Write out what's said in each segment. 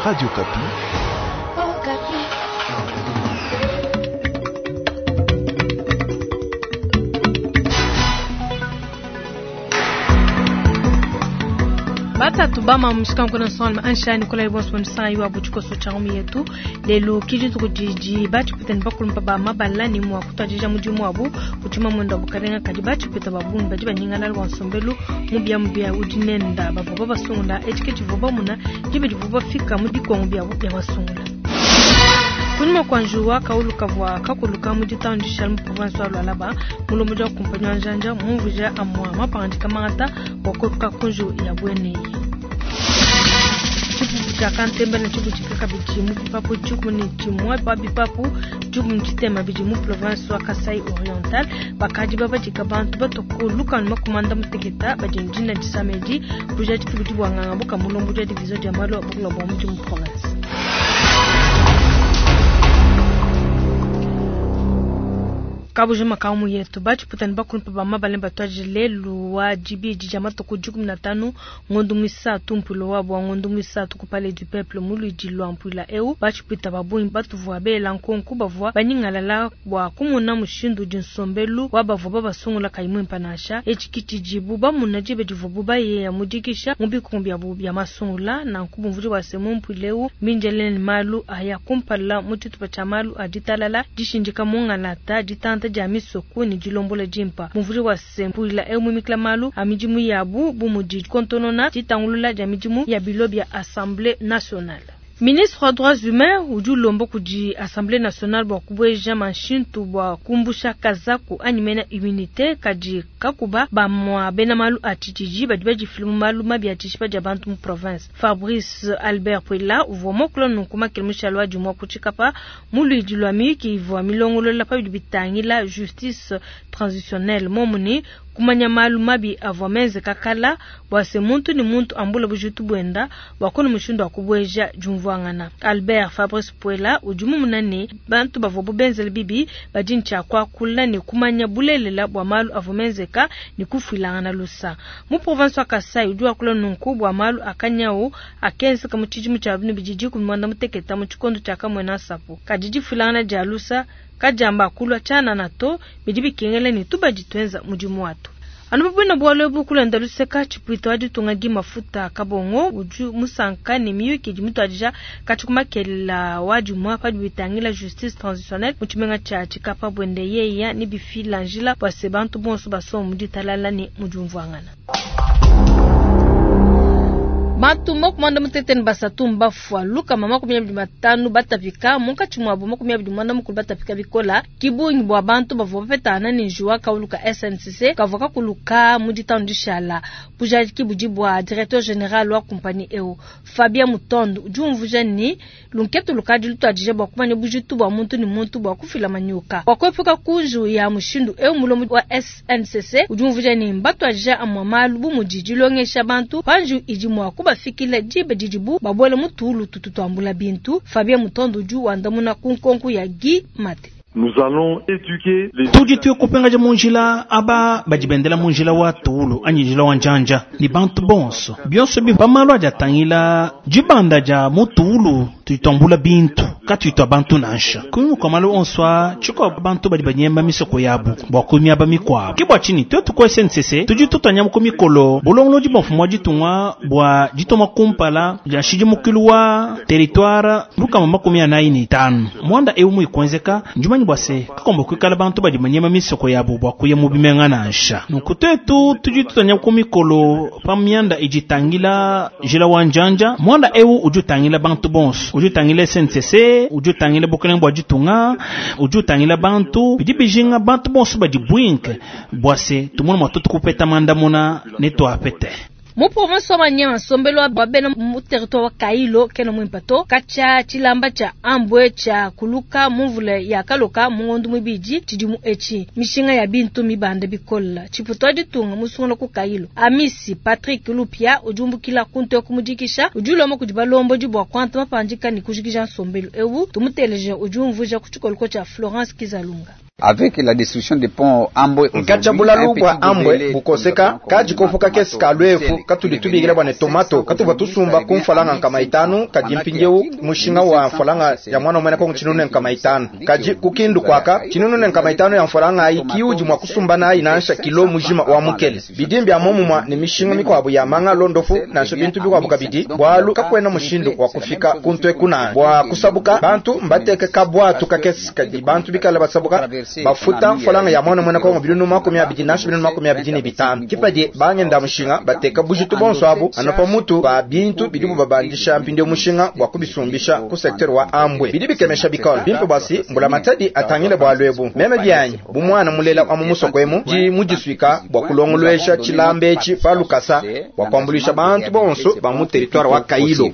Radio Okapi. Batatu bama mushikanku nsonga anshani kola ibonso msanga iwa butshikoso tsha ngumi yetu lelu kidi tukudidi batshipita ne bakulumpa ba mabala ne mua kutuadija mudimu wabu kutshima mwenda wa bukalenga kadi batshipita ba bungi badi banyingalala bua nsombelu mubia mubia udi nenda bavua babasungula etshi ke tshivua bamuna diba divua bafika mu bikongo biabu bia masungula. Kunyima kua njuwa kaulu kavua kakuluka mu ditanu dishala mu province wa Lualaba, mulombodi wa kumpanyi wa njanja mumvuija amua mapangadika mangata bua kuepuka ku njiwu ya buena eyi. Tshipupu tshia kantemba ne tshibutshika kabidi mu bipapu 11 pa bipapu 60 bidi mu province wa Kasai Oriental. Bakadi babadika bantu batua ku lukanu makumi anda muteketa badi ne dina disama edi. Bujadiki budi bua nganga buka mulombodi wa division dia malu a bukula bua mudimu mu province. Kabujima ka mu yetu batshiputa ne bakulumpa ba mabale batuadije lelu wa dibidi dia matuku 15 ngondo muisatu mpuilo wabu wa ngondo muisatu ku Palais du Peuple mu luidi lua mpuila eu. Batshiputa ba bungi batuvua bela nkonku bavua banyingalala bua kumona mushindu udi nsombelu wa bavua babasungula kayi muimpa nansha. Etshi ki tshidibu bamuna diba divuabu bayeya mu dikisha mu bikongo biabu bia masungula. Nanku bumvudi bua se mu mpuila eu mbindile ne malu aya kumpala mu tshitupa tshia malu a ditalala, dishindika mu ngalata, ditanta dia misoku ne dilombola dimpa. Bumvudi bua se mpuila eu mumikila malu a midimu yabu bu mudi dikontonona, ditangulula dia midimu ya bilo bia Assemblée nationale. Ministre wa droits humains udi ulomba kudi Assemblée nationale bua kubueja manshintu bua kumbusha kazaku anyi mena immunité kadi kakuba bamua bena malu a tshididi badi badifila mu malu mabi a tshishipa dia bantu mu province. Fabrice Albert Puela uvua muakula nunku makele mushale wa dimua ku Tshikapa mu luidi lua miyuki ivua milongolola pa bidi bitangila justice transitionnelle momu ne kumanya malu mabi avua menzeka kala bua se muntu ne muntu ambula bujitu buenda bua kona mushindu wa kubueja diumvuangana. Albert Fabrice Puela udi mumuna ne bantu bavua benzele bibi badi ne tshia kuakula ne kumanya bulelela bua malu avua menzeka ne kufuilangana lusa. Mu province wa Kasai udi wakula nunku bua malu a kanyawu akenzeka mu tshidimu tshia 2016 mu tshikondo tshia Kamwena Nsapu. Kadi difuilangana dia lusa kadiamba kulua tshianana to, bidi bikengela ne tubadi tuenza mudimu watu. Anu bubwina bualu ebu kulenda luseka tshipuita wa ditunga Guy Mafuta Kabongo udi musanka ne miyuki idi mituadija katshi ku makelela wa dimua padi bitangila justice transitionnelle mu tshimenga tshia Tshikapa buende yeya ne bifila njila bua se bantu bonso basombe mu ditalala ne mu diumvuangana. Bantu 63 mbafua, 250 batapika, munkatshi muabu 29 batapika bikola. Ki bungi bua bantu bavua bapetana ne njiwu wa kaulu ka SNCC kavua kakuluka mu ditanu dishala. Bujadiki budi bua directeur general wa kumpanyi eu Fabien Mutondo udi umvuija ne lunketu lukadi lutuadija bua kumanya bujitu bua muntu ne muntu bua kufila manyuka bua kuepuka ku njiwu ya mushindu eu. Mulombodi wa SNCC udi umvuija ne mbatuadija amua malu bu mudi dilongesha bantu pa njiwu idi mua kubafikila diba didibu babuela mu tuulu tutu tuambula bintu. Fabien Mutondo udi wandamuna ku nkonko ya Guy Mate. Nous allons éduquer les Tudi tuya kupengaja mu njila aba badi bendela mu njila wa tuulu anyi njila wa njanja ne bantu bonso bionso bi pa malu adi atangila dibanda dia mu tuulu tudi tuambula bintu katuyi tua bantu nansha. Kunyima kua malu onso aa, tshikua bantu badi banyemba misoko yabu bua ku miaba mikuabu. Ke bua tshinyi tuetu ku SNCC tudi tutua nyama ku mikolo bulongolodi bua mfumu wa ditunga bua ditoma kumpala dia nshidimukilu wa territoire 145. Muanda eu muikuenzeka njumanyi bua se kakomba kuikala bantu badi banyema misoko yabu bua kuya mu bimenga nansha. Nunku tuetu tudi tutua nyama ku mikolo pa mianda idi itangila njila wa njanja. Muanda eu udi utangila bantu bonso, udi utangila SNCC, udi utangila bukelenge bua ditunga, udi utangila bantu bidi bijinga bantu bonso badi bwinke bua se tumone mua tutu kupeta mandamuna ne tuapete. Mu province wa Maniema, nsombelu wa bena mu territoire wa Kailo kena muimpe to. Katshia tshilamba tshia ambwe tshia kuluka mu mvula ya kaloka mu ngondo muibidi tshidimu etshi. Mishinga ya bintu mibanda bikola. Tshiputu wa ditunga musungula ku Kailo. Amisi Patrick Lupia udi umbukila ku nteku mudikisha, udi ulomba kudi balombodi bua kuanta mapandika ne kujikija nsombelu eu. Tumuteleje udi umvuija ku tshikoloko tshia Florence Kizalunga. Avec la destruction des ponts Ambwe Nkatshia bulalu bua Ambwe bukoseka kadi kopo kakese ka luefu katudi tubikila bua ne tomato katuvua tusumba ku mfalanga 500 kadi mpindieu mushinga wa mfalanga ya mwana muena Kongo 500. Kadi ku Kindu kwaka 500 ya mfalanga ayi kiudi mua kusumba nayi nansha kilo mujima wa mukele. Bidimbi bia momumua ne mishinga mikuabu ya manga londofu nansha bintu bikuabu kabidi bualu kakuena mushindu wa kufika kuntu ekuna bua kusabuka bantu mbateke kabwatu kakese kadi bantu bikala basabuka bafuta mfalanga ya mwana muena Kongo 20 nansha 25. Kipadi bangenda mushinga bateka bujitu bonso abu anopa mutu ba bintu bidibu babandisha mpindieu mushinga bua kubisumbisha ku secteur wa Ambwe. Bidi bikemesha bikole bimpe bwasi mbula matadi atangile bua lwebu meme byanyi bu mwana mulela wa mu musoko emu di mudisuika bua kulongolwesha tshilamba etshi pa lukasa bua kuambuluisha bantu bonso ba mu territoire wa Kailo.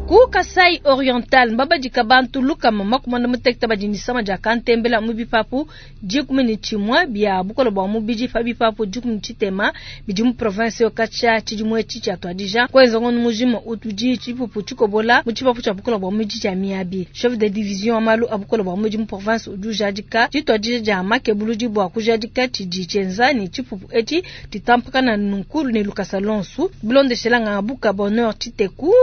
Ku Kasai Oriental mbabadika bantu lukama makumanda muteketa badi ni sama dia kantembela mu bipapu 11 bia bukola bua mubidi pa bipapu 13 bidi mu province yo katshia tshidimu etshi tshia tuadija kwenza ngono mujima utudi tshipupu tshikobola mu tshipapu tshia bukola bua mubidi tshia Miabi. Chef de division wa malu a bukola bua mubidi mu province udi ujadika tshituadija dia makebuludi bua kujadika tshidi tshienza ne tshipupu etshi tshitampakana nunku ne lukasa lonsu. Bilondeshela ngabuka Bonheur Tshiteku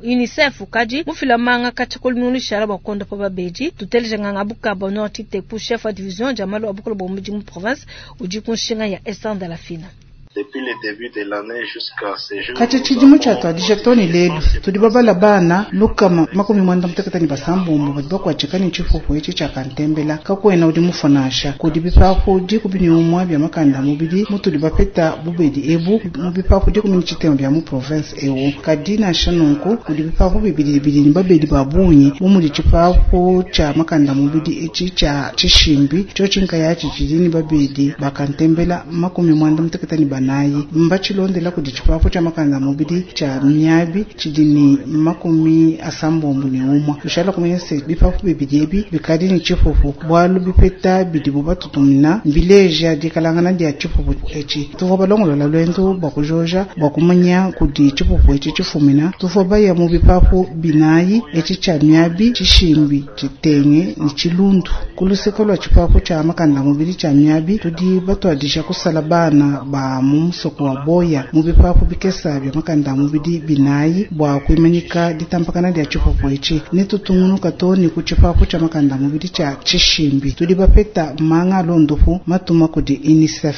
UNICEF kadi mufila manga katshia lumingu bua konda pa babedi tuteleje nganga buka Bonheur Tshiteku chef wa division dia malu a bukola bua mubidi mu province udi ku nshinga ya Esther Ndalafina. Depuis le début de l'année jusqu'à ce jour, Katshia tshidimu tshiatuadija too ne lelu tudi babala bana lukama 96 badi bakuatshika ne tshipupu etshi tshia kantembela kakuena udi mufua nansha kudi bipapu 11 bia makanda a mubidi mutudi bapeta bubedi ebu mu bipapu 13 bia mu province ewu. Kadi nansha nunku kudi bipapu bibidi bidi ne babedi ba bungi bu mudi tshipapu tshia makanda a mubidi etshi tshia Tshishimbi tshiotshi nkayatshi tshidi ne babedi ba kantembela 94 mbachilondela kudi tshipapu tshia makanda a mubidi tshia Miabi tshidi ne 61. Tushala kumanya se bipapu bibidi ebi bikadi ne tshipupu bualu bipeta bidibu batutumina mbileja dikalangana dia tshipupu etshi. Tuvua balongolola lwendo bua kujoja bua kumanya kudi tshipupu etshi tshifumina. Tuvua baya mu bipapu 4 etshi tshia Miabi, Tshishimbi, Tshitenge ne Tshilundu. Ku luseke lua tshipapu tshia makanda a mubidi tshia Miabi tudi batuadija kusala bana ba mu musoko wa Boya mu bipapu bikesa bia makanda a mubidi 4 bua kuimanyika ditampakana dia tshipupu etshi. Ne tutungunuka too ne ku tshipapu tshia makanda a mubidi tshia Tshishimbi. Tudi bapeta manga a londopu matuma kudi UNICEF.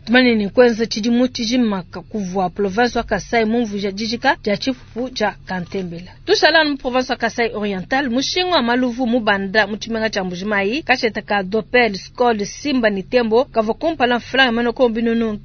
Tumane ne kwenza tshidimu tshijima kuvua province wa Kasai mumvuija dijika dia tshipupu tshia kantembela. Tushala mu province wa Kasai Oriental mushinga wa maluvu mubanda mu tshimenga tshia Mbujimayi kasheta ka Dopel Skol Simba ne Tembo kavua kumpala mfranga manoko 42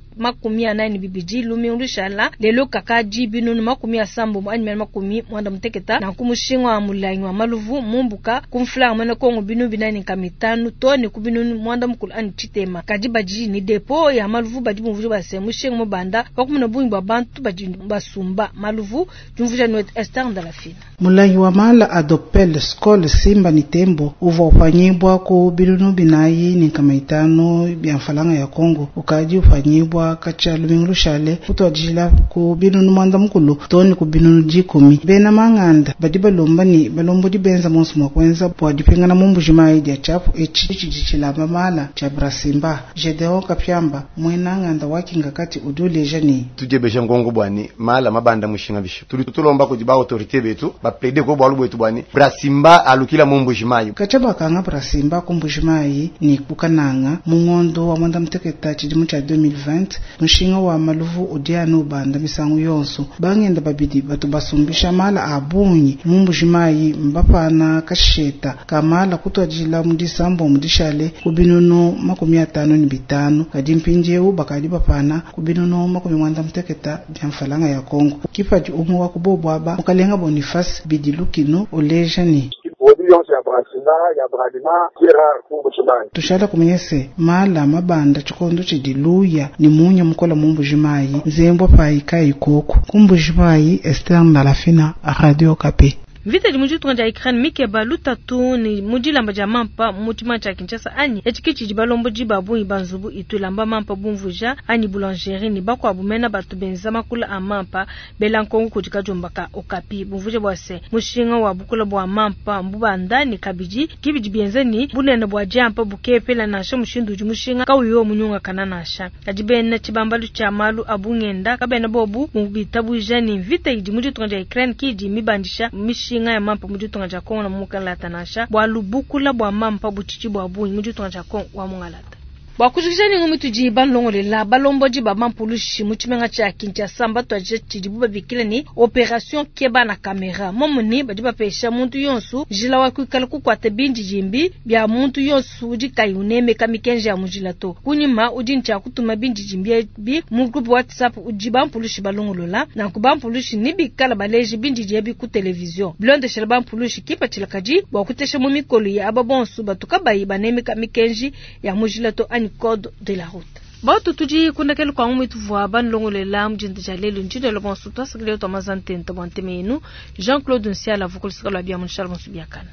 lumingu lushala lelo kakadi 70 anyi 90 na kumushinga wa mulangi wa maluvu mumbuka kumflanga manoko 45 to ne ku 9 anyi tshitema. Kadi badi ni depo ya maluvu badi mumvuja base mushinga mubanda pakumuna bungi bua bantu badi basumba maluvu jumvuja nwet Esther Ndalafina. Mulangi wa mala adopel Skol Simba ni Tembo uvua upanyibwa ku 4,5 bia mfalanga ya Kongo ukadi upanyibwa katshia lumingu lushale kutuadijila ku 9 toni ku 10. Bena manganda badi balomba ni balombodi benza monso mua kuenza bua dipingana mu Mbujimayi dia tshiapu etshi tshidi tshilamba mala tshia Brasimba. Gedeon Kapiamba muena nganda wa Kingakati udi uleja ni tudiebesha ngongo bwani mala mabanda mushinga bisho tudi tulomba kudi ba autorité betu ba plaider ko bwalu bwetu bwani Brasimba alukila mu Mbujimayi. Katshia bakanga Brasimba ku Mbujimayi ni kukananga mu ngondo wa mwanda muteketa tshidimu tshia 2020 mushinga wa maluvu udi anu ubanda misangu yonso. Bangenda babidi batu basumbisha mala a bungi mu Mbujimayi mbapana kasheta kamala kutuadijila mu disambo mu dishale ku 55 kadi mpindieu bakadi bapana ku 98 bia mfalanga ya Kongo. Kipadi umwe wa kubobwaba mukalenga Boniface Bidilukino uleja ni tushala kumanyese mala mabanda tshikondo tshidiluya ni munya mukola mu Mbujimayi nzembwa pai kai koko ku Mbujimayi. Esther Ndalafina, Radio Okapi. Mvita idi mu ditunga dia Ukraine mikeba lutatu ne mu dilamba dia mampa mu tshimenga tshia Kinshasa anyi? Etshi ke tshidi balombodi ba bungi ba nzubu itu ilamba mampa bumvuija anyi boulangerie ne bakuabu mena batu benza makula a mampa bela nkonko kudi kadiomba ka Okapi bumvuija bua se mushinga wa bukula bua mampa mbubanda ne kabidi ki bidi bienza ne bunene bua diampa bukepela nansha mushindu udi mushinga kauyi munyungakana nansha. Kadi bena tshibambalu tshia malu a bungenda kabena bobu bitabuja ne mvita idi mu ditunga dia Ukraine ki idi mibandisha mishinga ya mampa mu ditunga dia Congo na mungalata nansha, bualu bukula bua mampa butshidi bua bungi mu ditunga dia Congo wa mungalata. Bua kujikija ne ngumu tudi balongolela balombodi ba bampulushi mu tshimenga tshia Kinshasa mbatuadije tshidibu babikila ne operation keba na kamera momu ne badi bapesha muntu yonso njila wa kuikala kukuata bindidimbi bia muntu yonso udi kayi unemeka mikenji ya mujila to. Kunyima udi ntshia kutuma bindidimbi ebi mu groupe WhatsApp udi bampulushi balongolola. Nanku bampulushi ne bikala baleji bindidi ebi ku television. Bilondeshela bampulushi kipatshila kadi bua kutesha mu mikolo ya aba bonso batu kabayi banemeka mikenji ya mujila to anyi code de la route. Batu tudi kundekelu kwa ngumu ituvua banlongolela mujinda dia lelu njindelo bonso twasakile twamaza ntenta bua nteme yenu Jean-Claude Nsiala vukulusika lwa bia munshala bonso biakana.